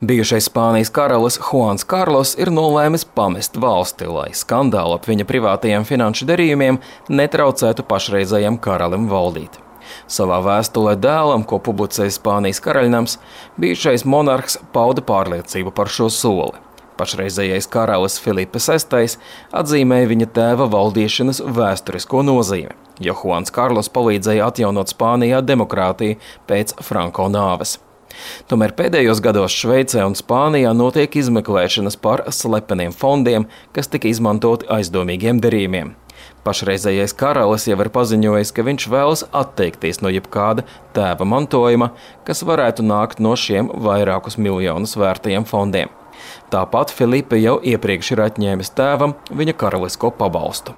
Bijušais Spānijas karalis Juans Karlos ir nolēmis pamest valsti, lai skandāli ap viņa privātajiem finanšu darījumiem netraucētu pašreizējam karalim valdīt. Savā vēstulē dēlam, ko publicēja Spānijas karaļnams, bijušais monarhs pauda pārliecību par šo soli. Pašreizējais karalis Filipe VI atzīmēja viņa tēva valdīšanas vēsturisko nozīmi, jo Juans Karlos palīdzēja atjaunot Spānijā demokrātiju pēc Franko nāves. Tomēr pēdējos gados Šveicē un Spānijā notiek izmeklēšanas par slepeniem fondiem, kas tika izmantoti aizdomīgiem darījumiem. Pašreizējais karalis jau ir paziņojis, ka viņš vēlas atteikties no jebkāda tēva mantojuma, kas varētu nākt no šiem vairākus miljonus vērtajiem fondiem. Tāpat Filipe jau iepriekš ir atņēmis tēvam viņa karalisko pabalstu.